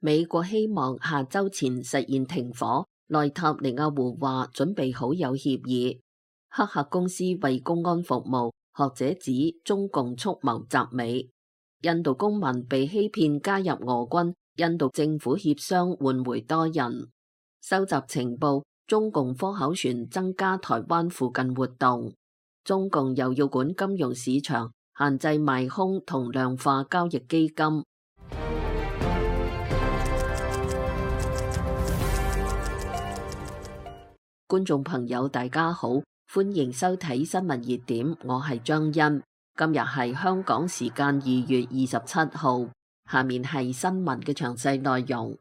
美國希望下週前實現停火，內塔尼亞胡話準備好有協議。黑客公司為公安服務，學者指中共蓄謀習美。印度公民被欺騙加入俄軍，印度政府協商換回多人。收集情報，中共科考船增加台灣附近活動。中共又要管金融市場，限制賣空同量化交易基金。觀眾朋友大家好，歡迎收睇新聞熱點，我係張欣。今日係香港時間2月27號，下面係新聞嘅詳細內容。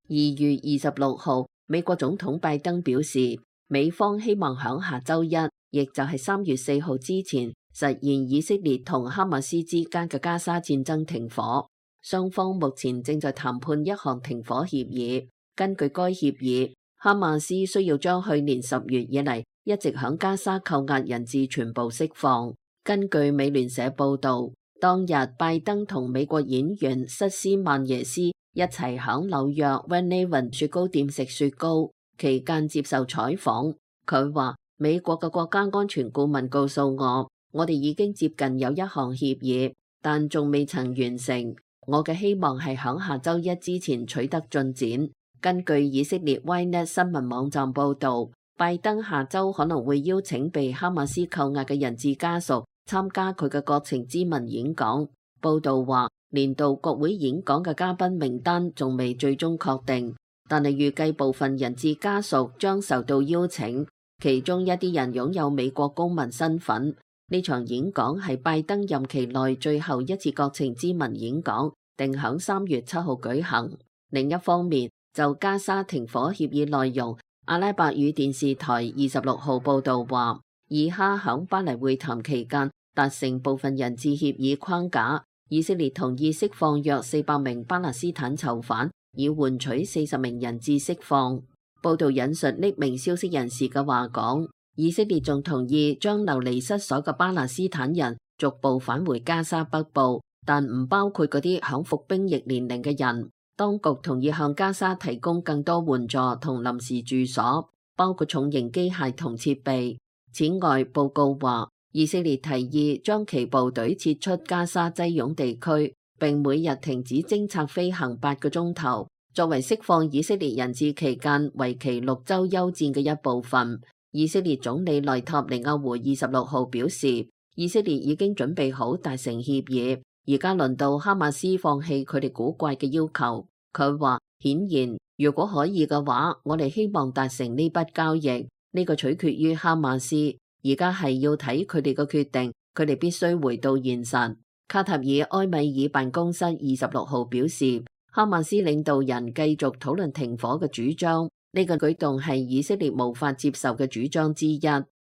2月26號，美國總統拜登表示，美方希望響下週一，亦就係3月4號之前，實現以色列同哈馬斯之間嘅加沙戰爭停火。雙方目前正在談判一項停火協議。根據該協議，哈馬斯需要將去年10月以嚟一直響加沙扣押人質全部釋放。根據美聯社報導，當日拜登同美國演員瑟斯曼耶斯一齊響紐約 Van-Leeuwen 雪糕店食雪糕，期間接受採訪。佢話：美國嘅國家安全顧問告訴我哋已經接近有一項協議，但仲未曾完成。我嘅希望係響下週一之前取得進展。根據以色列 Ynet 新聞網站報導，拜登下週可能會邀請被哈馬斯扣押嘅人質家屬參加佢嘅國情咨文演講。報導話，年度國會演講嘅嘉賓名單仲未最終確定，但係預計部分人質家屬將受到邀請，其中一啲人擁有美國公民身份。呢場演講係拜登任期內最後一次國情咨文演講，定響3月7號舉行。另一方面，就加沙停火協議內容，阿拉伯語電視台26號報導話，以哈響巴黎會談期間達成部分人質協議框架，以色列同意釋放約400名巴勒斯坦囚犯，以換取40名人質釋放。報導引述匿名消息人士嘅話講，以色列仲同意將流離失所嘅巴勒斯坦人逐步返回加沙北部，但唔包括嗰啲響服兵役年齡嘅人。當局同意向加沙提供更多援助同臨時住所，包括重型機械同設備。此外，報告話，以色列提議將其部隊撤出加沙擠擁地區，並每日停止偵察飛行8個鐘頭，作為釋放以色列人質期間為期6週休戰嘅一部分。以色列總理內塔尼亞胡26號表示，以色列已經準備好達成協議。而家輪到哈馬斯放棄佢哋古怪嘅要求。佢話：顯然，如果可以嘅話，我哋希望達成呢筆交易。呢個取決於哈馬斯。而家係要睇佢哋嘅決定，佢哋必須回到現實。卡塔爾埃米爾辦公室26號表示，哈馬斯領導人繼續討論停火嘅主張。呢個舉動係以色列無法接受嘅主張之一。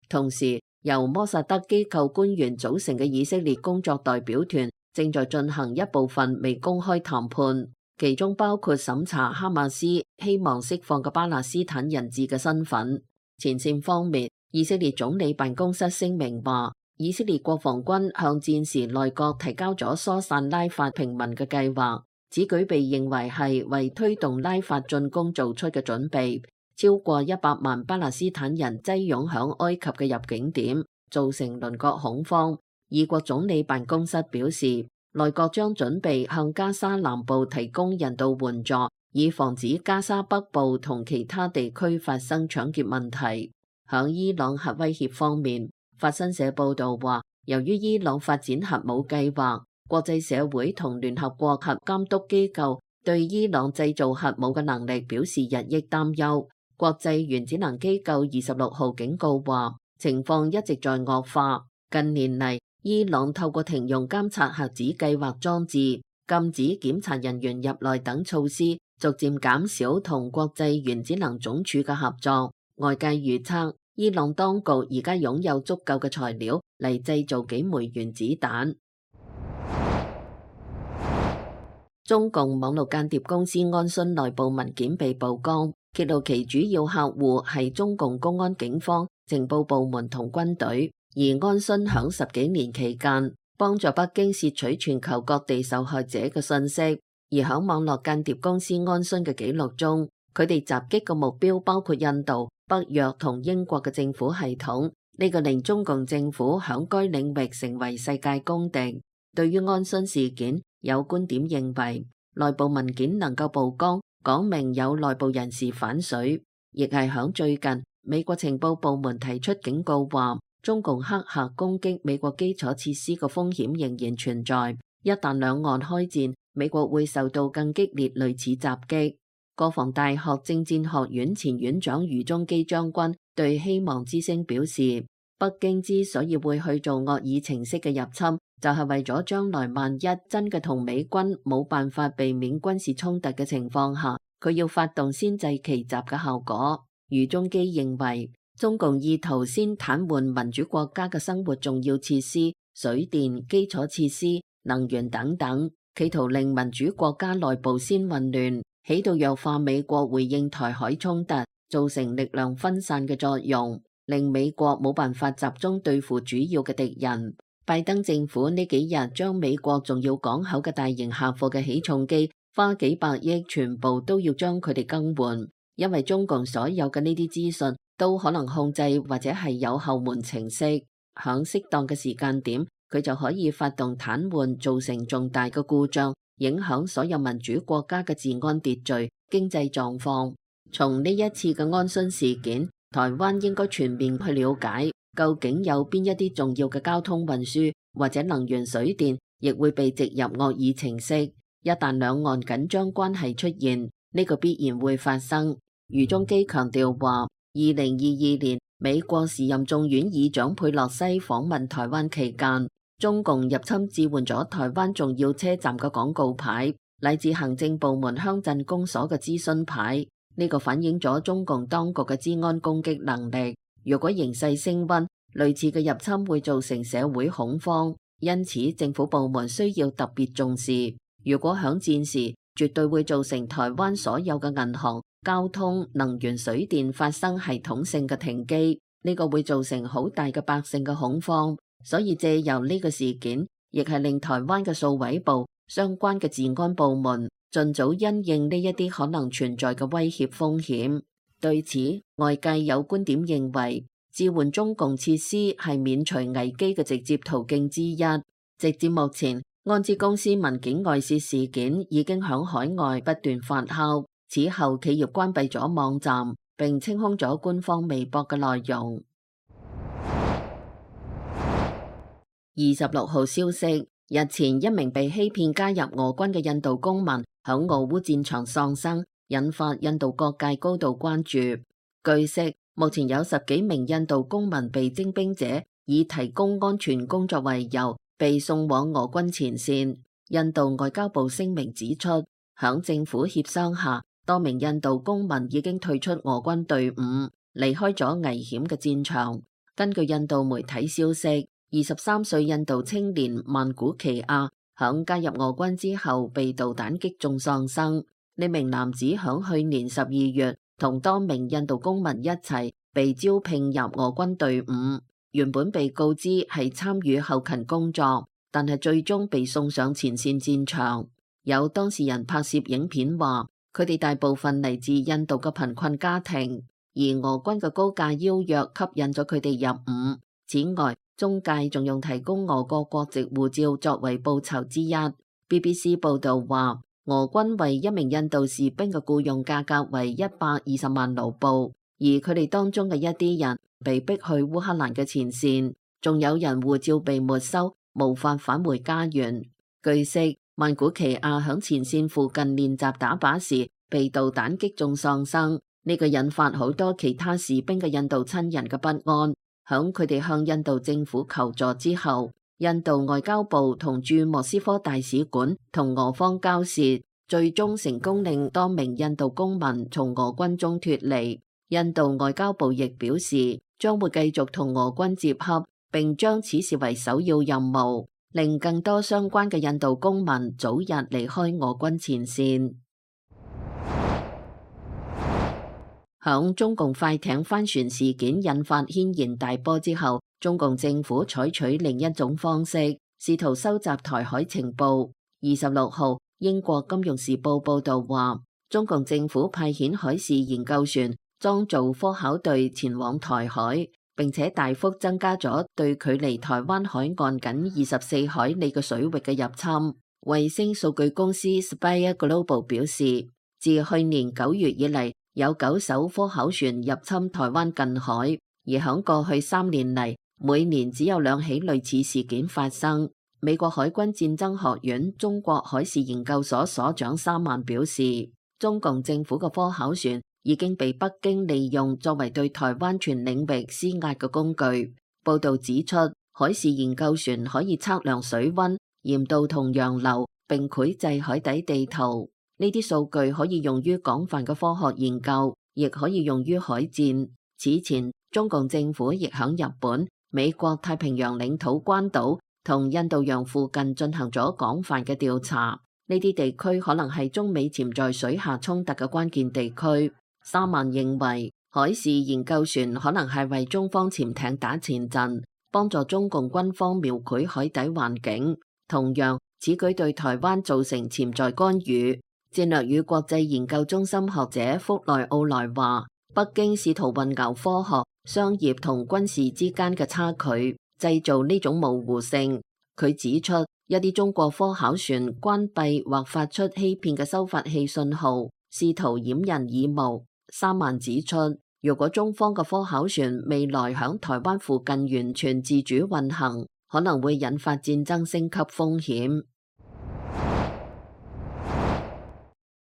同時，由摩薩德機構官員組成嘅以色列工作代表團正在進行一部分未公開談判，其中包括審查哈馬斯希望釋放嘅巴勒斯坦人質嘅身份。前線方面，以色列總理辦公室聲明話，以色列國防軍向戰時內閣提交咗疏散拉法平民嘅計劃，此舉被認為係為推動拉法進攻做出嘅準備。超過100萬巴勒斯坦人擠擁響埃及嘅入境點，造成鄰國恐慌。以國總理辦公室表示，內閣將準備向加沙南部提供人道援助，以防止加沙北部同其他地區發生搶劫問題。響伊朗核威脅方面，法新社報導話，由於伊朗發展核武計劃，國際社會同聯合國核監督機構對伊朗製造核武嘅能力表示日益擔憂。國際原子能機構26號警告話，情況一直在惡化。近年嚟，伊朗透過停用監察核子計劃裝置、禁止檢查人員入內等措施，逐漸減少同國際原子能總署嘅合作。外界預測，伊朗當局而家擁有足夠嘅材料嚟製造幾枚原子彈。中共網絡間諜公司安洵內部文件被曝光，揭露其主要客戶係中共公安、警方、情報部門同軍隊。而安洵響10幾年期間，幫助北京竊取全球各地受害者嘅信息。而喺網絡間諜公司安洵嘅記錄中，佢哋襲擊嘅目標包括印度、北約同英國嘅政府系統，呢個令中共政府響該領域成為世界公敵。對於安洵事件，有觀點認為，內部文件能夠曝光，講明有內部人士反水，亦係響最近，美國情報部門提出警告話，中共黑客攻擊美國基礎設施嘅風險仍然存在，一旦兩岸開戰，美國會受到更激烈類似襲擊。國防大學政戰學院前院長余宗基將軍對希望之聲表示，北京之所以會去做惡意程式嘅入侵，就係為咗將來萬一真嘅同美軍冇辦法避免軍事衝突嘅情況下，佢要發動先制奇襲嘅效果。余宗基認為，中共意圖先癱瘓民主國家嘅生活重要設施、水電、基礎設施、能源等等，企圖令民主國家內部先混亂，起到弱化美國回應台海衝突，造成力量分散嘅作用，令美國冇辦法集中對付主要嘅敵人。拜登政府呢幾日將美國重要港口嘅大型客貨嘅起重機花幾百億，全部都要將佢哋更換，因為中共所有嘅呢啲資訊都可能控制或者係有後門程式，響適當嘅時間點，佢就可以發動癱瘓，造成重大嘅故障，影響所有民主國家嘅治安秩序、經濟狀況。從呢一次嘅安洵事件，台灣應該全面去了解，究竟有邊一啲重要嘅交通運輸或者能源水電，亦會被植入惡意程式。一旦兩岸緊張關係出現，呢個必然會發生。余宗基強調話，2022年美國時任眾院議長佩洛西訪問台灣期間，中共入侵置換咗台灣重要車站嘅廣告牌，乃至行政部門鄉鎮公所嘅諮詢牌。呢個反映咗中共當局嘅資安攻擊能力。如果形勢升溫，類似嘅入侵會造成社會恐慌，因此政府部門需要特別重視。如果響戰時，絕對會造成台灣所有嘅銀行、交通、能源、水電發生系統性嘅停機，呢個會造成好大嘅百姓嘅恐慌。所以借由呢個事件，亦係令台灣嘅數位部相關嘅治安部門盡早因應呢一啲可能存在嘅威脅風險。對此，外界有觀點認為，置換中共設施係免除危機嘅直接途徑之一。直至目前，安知公司文件外泄事件已經響海外不斷發酵。此後，企業關閉咗網站，並清空咗官方微博嘅內容。26號消息，日前一名被欺騙加入俄軍嘅印度公民響俄烏戰場喪生，引發印度各界高度關注。據悉，目前有10幾名印度公民被徵兵者以提供安全工作為由，被送往俄軍前線。印度外交部聲明指出，響政府協商下，多名印度公民已經退出俄軍隊伍，離開咗危險嘅戰場。根據印度媒體消息，23歲印度青年曼古奇亞響加入俄軍之後被導彈擊中喪生。呢名男子響去年12月同多名印度公民一齊被招聘入俄軍隊伍，原本被告知係參與後勤工作，但係最終被送上前線戰場。有當事人拍攝影片話，佢哋大部分嚟自印度嘅貧困家庭，而俄軍嘅高價邀約吸引咗佢哋入伍。此外，中介仲用提供俄國國籍護照作為報酬之一。BBC 報道話，俄軍為一名印度士兵嘅僱用價格為120萬盧布，而佢哋當中嘅一啲人被逼去烏克蘭嘅前線，仲有人護照被沒收，無法返回家園。據悉，曼古奇亞響前線附近練習打靶時被導彈擊中喪生，呢個引發好多其他士兵嘅印度親人嘅不安。響佢哋向印度政府求助之後，印度外交部同駐莫斯科大使館同俄方交涉，最終成功令多名印度公民從俄軍中脫離。印度外交部亦表示，將會繼續同俄軍接洽，並將此視為首要任務，令更多相關嘅印度公民早日離開俄軍前線。響中共快艇翻船事件引發軒然大波之後，中共政府採取另一種方式，試圖收集台海情報。26號，英國金融時報報導話，中共政府派遣海事研究船裝造科考隊前往台海，並且大幅增加咗對距離台灣海岸僅24海里嘅水域嘅入侵。衛星數據公司 Spire Global 表示，自去年9月以嚟，有9艘科考船入侵台灣近海，而響過去3年嚟，每年只有2起類似事件發生。美國海軍戰爭學院中國海事研究所所長沙曼表示，中共政府嘅科考船已經被北京利用作為對台灣全領域施壓嘅工具。報道指出，海事研究船可以測量水溫、鹽度同洋流，並繪製海底地圖。呢啲數據可以用於廣泛嘅科學研究，亦可以用於海戰。此前，中共政府亦響日本、美國太平洋領土關島同印度洋附近進行咗廣泛嘅調查。呢啲地區可能係中美潛在水下衝突嘅關鍵地區。沙曼認為，海事研究船可能係為中方潛艇打前陣，幫助中共軍方描繪海底環境。同樣，此舉對台灣造成潛在干預。戰略與國際研究中心學者福內奧萊話，北京試圖混淆科學、商業同軍事之間嘅差距，製造呢種模糊性。佢指出，一啲中國科考船關閉或發出欺騙嘅收發器信號，試圖掩人耳目。沙曼指出，如果中方嘅科考船未來響台灣附近完全自主運行，可能會引發戰爭升級風險。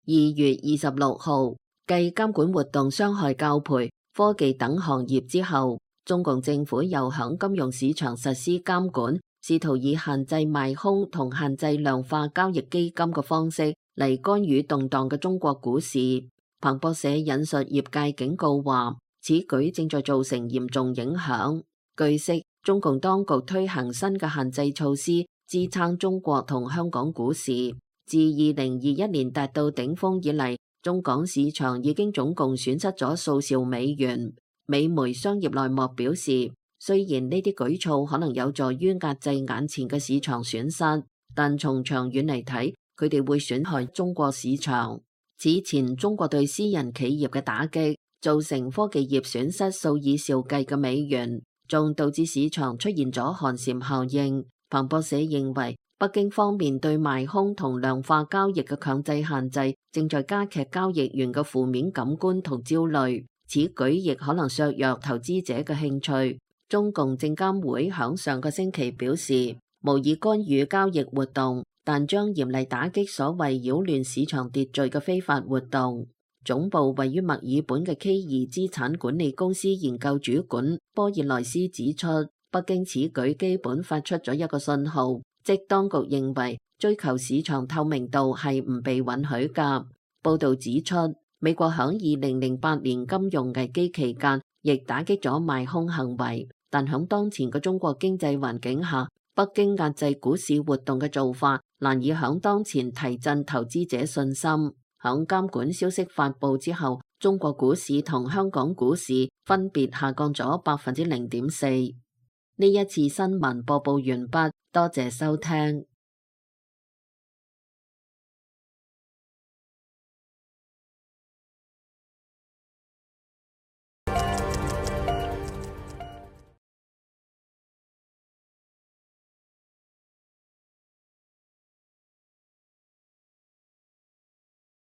2月26號，繼監管活動傷害教培、科技等行業之後，中共政府又響金融市場實施監管，試圖以限制賣空同限制量化交易基金嘅方式嚟干預動盪嘅中國股市。彭博社引述業界警告話，此舉正在造成嚴重影響。據悉，中共當局推行新嘅限制措施，支撐中國同香港股市。自2021年達到頂峰以嚟，中港市場已經總共損失咗數兆美元。美媒商業內幕表示，雖然呢啲舉措可能有助於壓制眼前嘅市場損失，但從長遠嚟睇，佢哋會損害中國市場。此前，中國對私人企業嘅打擊，造成科技業損失數以兆計嘅美元，仲導致市場出現咗寒蟬效應。彭博社認為，北京方面對賣空同量化交易嘅強制限制，正在加劇交易員嘅負面感官同焦慮。此舉亦可能削弱投資者嘅興趣。中共證監會響上個星期表示，無意干預交易活動，但將嚴厲打擊所謂擾亂市場秩序嘅非法活動。總部位於墨爾本嘅 K2資產管理公司研究主管波爾萊斯指出，北京此舉基本發出咗一個信號，即當局認為追求市場透明度係唔被允許㗎。報導指出，美國響2008年金融危機期間，亦打擊咗賣空行為，但響當前嘅中國經濟環境下，北京壓制股市活動嘅做法難以響當前提振投資者信心。響監管消息發佈之後，中國股市同香港股市分別下降咗0.4%。呢一次新聞播報完畢，多謝收聽。